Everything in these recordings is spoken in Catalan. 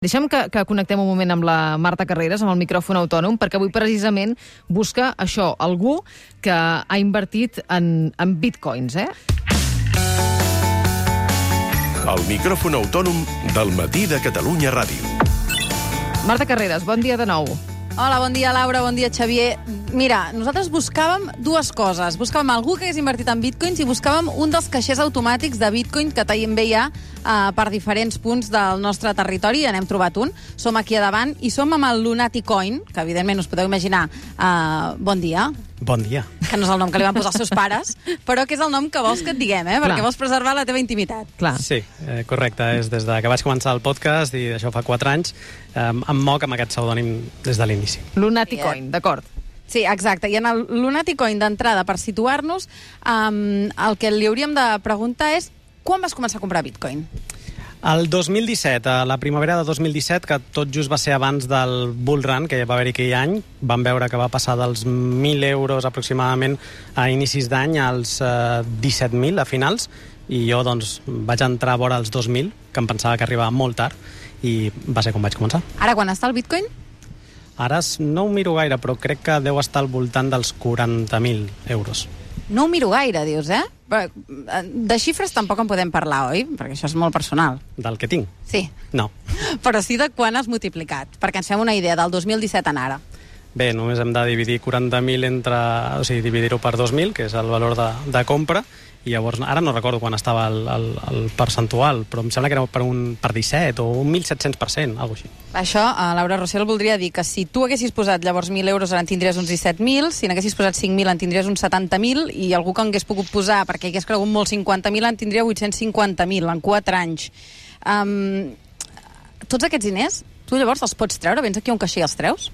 Deixa'm que connectem un moment amb la Marta Carreras, amb el micròfon autònom, perquè avui precisament busca això, algú que ha invertit en bitcoins, El micròfon autònom del Matí de Catalunya Ràdio. Marta Carreras, bon dia de nou. Hola, bon dia, Laura, bon dia, Xavier. Mira, nosaltres buscàvem dues coses. Buscàvem algú que hagués invertit en bitcoins i buscàvem un dels caixers automàtics de bitcoin que també hi ha per diferents punts del nostre territori. N'hem trobat un. Som aquí a davant i som amb el Lunatic Coin, que evidentment us podeu imaginar. Bon dia. Bon dia. Que no és el nom que li van posar els seus pares, però que és el nom que vols que et diguem, perquè vols preservar la teva intimitat. Clar. Sí, correcte. És des que vaig començar el podcast, i això fa 4 anys, em moc amb aquest pseudònim des de l'inici. Lunatic Coin, d'acord. Sí, exacte. I en el Lunatic Coin, d'entrada, per situar-nos, el que li hauríem de preguntar és quan vas començar a comprar bitcoin? El 2017, a la primavera de 2017, que tot just va ser abans del bull run que va haver-hi aquell any, vam veure que va passar dels 1.000 euros aproximadament a inicis d'any als 17.000 a finals, i jo doncs vaig entrar a vora els 2.000, que em pensava que arribava molt tard, i va ser com vaig començar. Ara, quan està el bitcoin? Ara no ho miro gaire, però crec que deu estar al voltant dels 40.000 euros. No ho miro gaire, dius, De xifres tampoc en podem parlar, oi? Perquè això és molt personal. Del que tinc? Sí. No. Però sí de quan has multiplicat, perquè ens fem una idea del 2017 en ara. Bé, només hem de dividir 40.000 o sigui, dividir-ho per 2.000, que és el valor de compra, i llavors, ara no recordo quan estava el percentual, però em sembla que era per 17 o un 1.700%, alguna cosa així. Això, Laura Rossell, voldria dir que si tu haguessis posat llavors 1.000 euros ara en tindries uns 17.000, si n'haguessis posat 5.000 en tindries uns 70.000, i algú que en hagués pogut posar, perquè hagués cregut molt 50.000, en tindria 850.000 en 4 anys. Tots aquests diners, tu llavors els pots treure? Vens aquí a un caixer i els treus?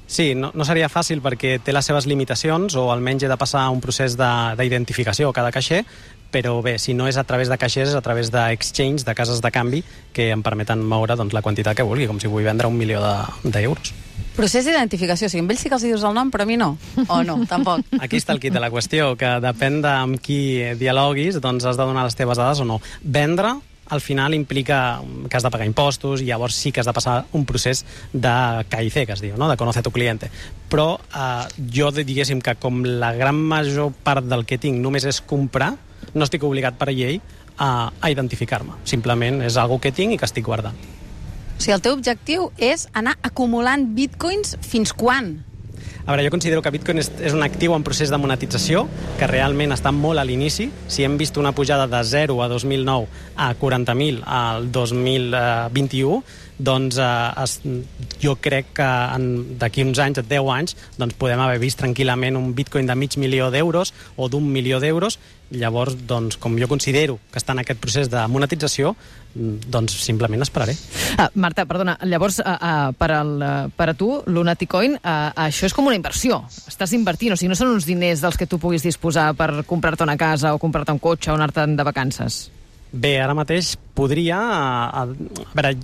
Sí, no seria fàcil perquè té les seves limitacions, o almenys he de passar un procés d'identificació a cada caixer, però bé, si no és a través de caixers, és a través d'exchange, de cases de canvi, que em permeten moure la quantitat que vulgui, com si vull vendre 1.000.000 d'euros. Procés d'identificació, o sigui, amb ells sí que els dius el nom, però a mi no. O no, tampoc. Aquí està el quid de la qüestió, que depèn de amb qui dialoguis, doncs has de donar les teves dades o no. Vendre al final implica que has de pagar impostos, i llavors sí que has de passar un procés de KIC, que es diu, no? De conocer tu cliente. Però jo diguéssim que com la gran major part del que tinc només és comprar, no estic obligat per llei a identificar-me. Simplement és algo que tinc i que estic guardant. O sigui, el teu objectiu és anar acumulant bitcoins fins quan? A veure, jo considero que Bitcoin és un actiu en procés de monetització, que realment està molt a l'inici. Si hem vist una pujada de 0 a 2009 a 40.000 al 2021, doncs jo crec que d'aquí uns anys, 10 anys, doncs podem haver vist tranquil·lament un bitcoin de $500.000 d'euros o d'1.000.000 d'euros. Llavors, doncs, com jo considero que està en aquest procés de monetització, doncs simplement esperaré. Marta, perdona, llavors per a tu, Lunatic Coin, això és com una inversió. Estàs invertint, o sigui, no són uns diners dels que tu puguis disposar per comprar-te una casa o comprar-te un cotxe o anar-te'n de vacances. Bé, ara mateix podria... A veure,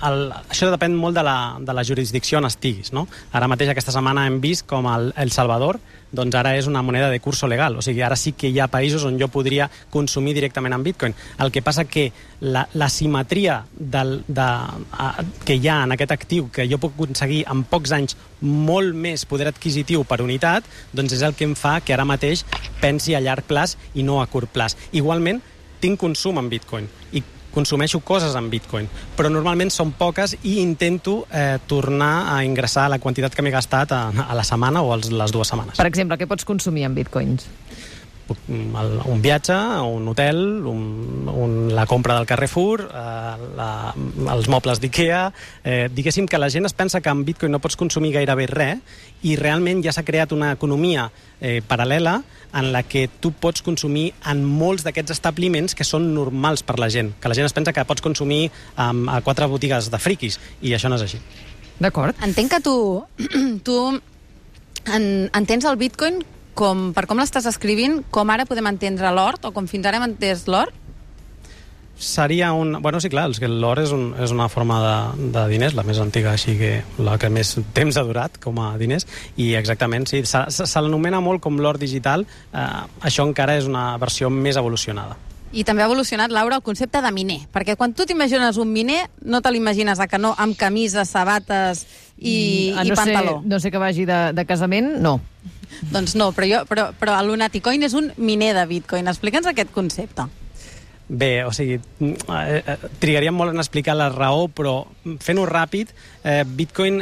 això depèn molt de la jurisdicció on estiguis, no? Ara mateix, aquesta setmana, hem vist com El Salvador, doncs ara és una moneda de curso legal. O sigui, ara sí que hi ha països on jo podria consumir directament en bitcoin. El que passa que la simetria que hi ha en aquest actiu, que jo puc aconseguir en pocs anys molt més poder adquisitiu per unitat, doncs és el que em fa que ara mateix pensi a llarg plaç i no a curt plaç. Igualment, tinc consum en bitcoin i consumeixo coses en bitcoin, però normalment són poques i intento tornar a ingressar la quantitat que m'he gastat a la setmana o a les 2 setmanes. Per exemple, què pots consumir en bitcoins? Un viatge, un hotel, la compra del Carrefour, els mobles d'Ikea. Diguéssim que la gent es pensa que amb bitcoin no pots consumir gairebé res, i realment ja s'ha creat una economia paral·lela en la que tu pots consumir en molts d'aquests establiments que són normals per la gent, que la gent es pensa que pots consumir a 4 botigues de friquis, i això no és així. D'acord. Entenc que tu entens el bitcoin per com l'estàs escrivint, com ara podem entendre l'or, o com fins ara hem entès l'or? Seria Bueno, sí, clar, l'or és una forma de diners, la més antiga, així que la que més temps ha durat com a diners, i exactament, sí, se l'anomena molt com l'or digital. Això encara és una versió més evolucionada. I també ha evolucionat, Laura, el concepte de miner, perquè quan tu t'imagines un miner, no te l'imagines a canó amb camises, sabates i pantaló. No sé que vagi de casament, no. Doncs no, però el Lunaticoin és un miner de Bitcoin. Explica'ns aquest concepte. Bé, o sigui, trigaríem molt en explicar la raó, però fent-ho ràpid, Bitcoin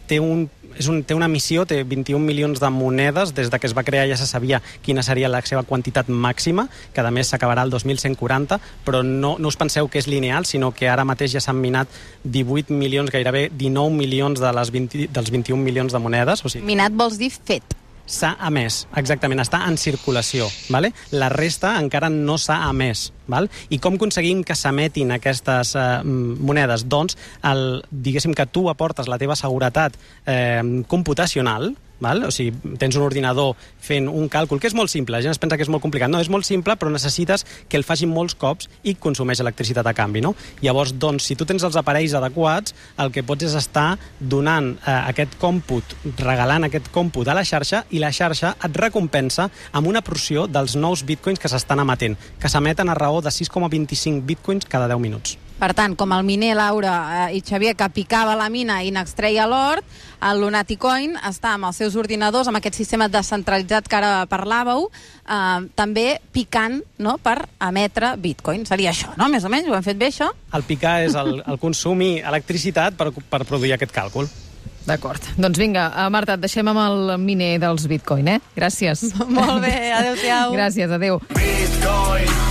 té una missió, té 21 milions de monedes. Des de que es va crear ja se sabia quina seria la seva quantitat màxima, que a més s'acabarà el 2140, però no us penseu que és lineal, sinó que ara mateix ja s'han minat 18 milions, gairebé 19 milions dels 21 milions de monedes. O sigui, minat vols dir fet. S'ha emès, exactament, està en circulació. Vale? La resta encara no s'ha emès. Val? I com aconseguim que s'emetin aquestes monedes? Doncs, diguéssim que tu aportes la teva seguretat computacional, val? O sigui, tens un ordinador fent un càlcul, que és molt simple, la gent es pensa que és molt complicat. No, és molt simple, però necessites que el facin molts cops i consumeix electricitat a canvi. No? Llavors, doncs, si tu tens els aparells adequats, el que pots és estar donant aquest còmput, regalant aquest còmput a la xarxa, i la xarxa et recompensa amb una porció dels nous bitcoins que s'estan emetent, que s'emeten a raó de 6,25 bitcoins cada 10 minuts. Per tant, com el miner Laura i Xavier que picava la mina i n'extreia l'or, el Lunaticoin està amb els seus ordinadors, amb aquest sistema descentralitzat que ara parlàveu, també picant, no?, per emetre bitcoin. Seria això, no? Més o menys, ho hem fet bé, això? El picar és el consumir electricitat per produir aquest càlcul. D'acord. Doncs vinga, Marta, et deixem amb el miner dels bitcoin, eh? Gràcies. Molt bé, adéu-siau. Gràcies, adéu. Bitcoin.